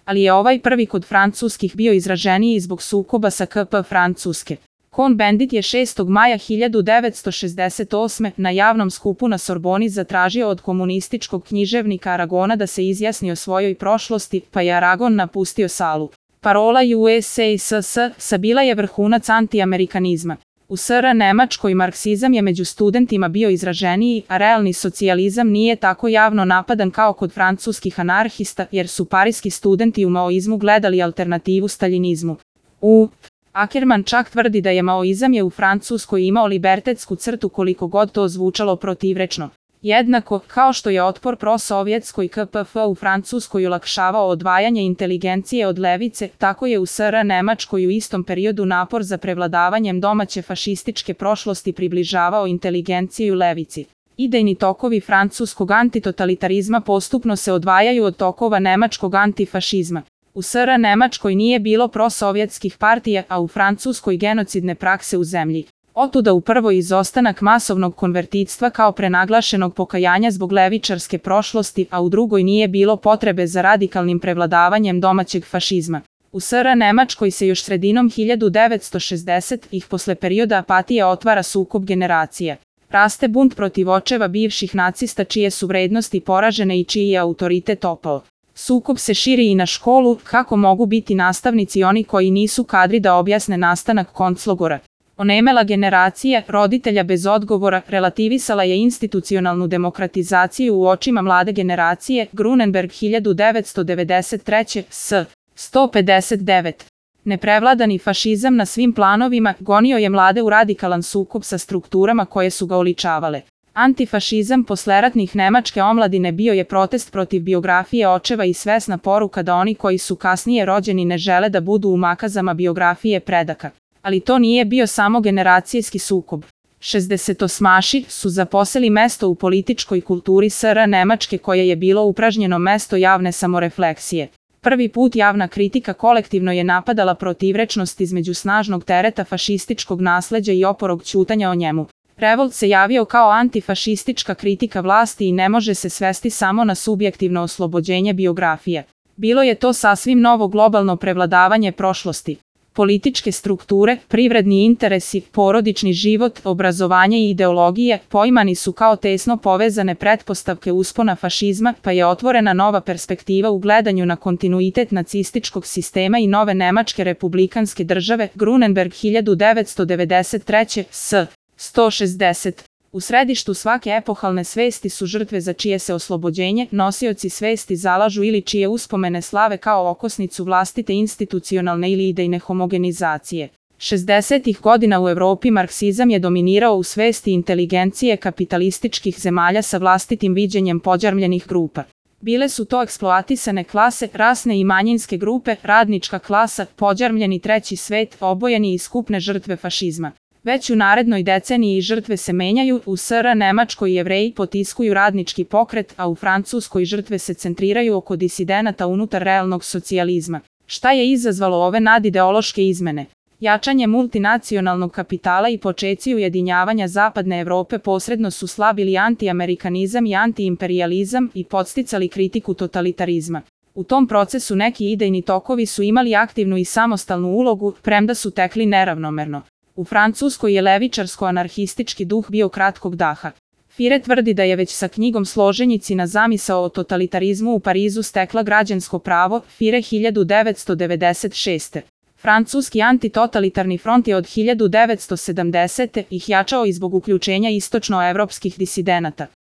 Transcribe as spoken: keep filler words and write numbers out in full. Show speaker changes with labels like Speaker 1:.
Speaker 1: ali je ovaj prvi kod francuskih bio izraženiji zbog sukoba sa K P Francuske. Cohn-Bendit je šestog maja hiljadu devetsto šezdeset osme. na javnom skupu na Sorboni zatražio od komunističkog književnika Aragona da se izjasni o svojoj prošlosti, pa je Aragon napustio salu. Parola U S A S S bila je vrhunac antiamerikanizma. U S R Nemačkoj marksizam je među studentima bio izraženiji, a realni socijalizam nije tako javno napadan kao kod francuskih anarhista, jer su pariski studenti u maoizmu gledali alternativu staljinizmu. U Ackerman čak tvrdi da je maoizam je u Francuskoj imao libertetsku crtu koliko god to zvučalo protivrečno. Jednako, kao što je otpor prosovjetskoj K P F u Francuskoj olakšavao odvajanje inteligencije od levice, tako je u S R Nemačkoj u istom periodu napor za prevladavanjem domaće fašističke prošlosti približavao inteligenciju levici. Idejni tokovi francuskog antitotalitarizma postupno se odvajaju od tokova nemačkog antifašizma. U S R Nemačkoj nije bilo prosovjetskih partija, a u Francuskoj genocidne prakse u zemlji. Otuda u prvoj izostanak masovnog konvertitstva kao prenaglašenog pokajanja zbog levičarske prošlosti, a u drugoj nije bilo potrebe za radikalnim prevladavanjem domaćeg fašizma. U S R Nemačkoj se još sredinom hiljadu devetsto šezdesetih posle perioda apatije otvara sukob generacija. Raste bunt protiv očeva bivših nacista čije su vrednosti poražene i čiji je autoritet opao. Sukob se širi i na školu, kako mogu biti nastavnici oni koji nisu kadri da objasne nastanak konclogora. Onemela generacija roditelja bez odgovora relativisala je institucionalnu demokratizaciju u očima mlade generacije. Grunenberg hiljadu devetsto devedeset treće. S. sto pedeset devet. Neprevladani fašizam na svim planovima gonio je mlade u radikalan sukob sa strukturama koje su ga oličavale. Antifašizam posleratnih nemačke omladine bio je protest protiv biografije očeva i svesna poruka da oni koji su kasnije rođeni ne žele da budu u makazama biografije predaka. Ali to nije bio samo generacijski sukob. šezdesetosmaši su zaposeli mesto u političkoj kulturi S R Nemačke koje je bilo upražnjeno mesto javne samorefleksije. Prvi put javna kritika kolektivno je napadala protivrečnost između snažnog tereta fašističkog nasleđa i oporog ćutanja o njemu. Revolt se javio kao antifašistička kritika vlasti i ne može se svesti samo na subjektivno oslobođenje biografije. Bilo je to sasvim novo globalno prevladavanje prošlosti. Političke strukture, privredni interesi, porodični život, obrazovanje i ideologije poimani su kao tesno povezane pretpostavke uspona fašizma, pa je otvorena nova perspektiva u gledanju na kontinuitet nacističkog sistema i nove nemačke republikanske države. Grunenberg hiljadu devetsto devedeset treće. S. sto šezdeset. U središtu svake epohalne svesti su žrtve za čije se oslobođenje nosioci svesti zalažu ili čije uspomene slave kao okosnicu vlastite institucionalne ili idejne homogenizacije. šezdesetih godina u Evropi marksizam je dominirao u svesti inteligencije kapitalističkih zemalja sa vlastitim viđenjem pođarmljenih grupa. Bile su to eksploatisane klase, rasne i manjinske grupe, radnička klasa, pođarmljeni treći svet, obojeni i skupne žrtve fašizma. Već u narednoj deceniji žrtve se menjaju, u S R Nemačkoj Jevreji potiskuju radnički pokret, a u Francuskoj žrtve se centriraju oko disidenata unutar realnog socijalizma. Šta je izazvalo ove nadideološke izmene? Jačanje multinacionalnog kapitala i počeci ujedinjavanja Zapadne Evrope posredno su slabili antiamerikanizam i antiimperijalizam i podsticali kritiku totalitarizma. U tom procesu neki idejni tokovi su imali aktivnu i samostalnu ulogu, premda su tekli neravnomerno. U Francuskoj je levičarsko-anarhistički duh bio kratkog daha. Fire tvrdi da je već sa knjigom Složenjicina zamisao o totalitarizmu u Parizu stekla građansko pravo. Fire hiljadu devetsto devedeset šeste. Francuski antitotalitarni front je od hiljadu devetsto sedamdesete ih jačao i zbog uključenja istočnoevropskih disidenata.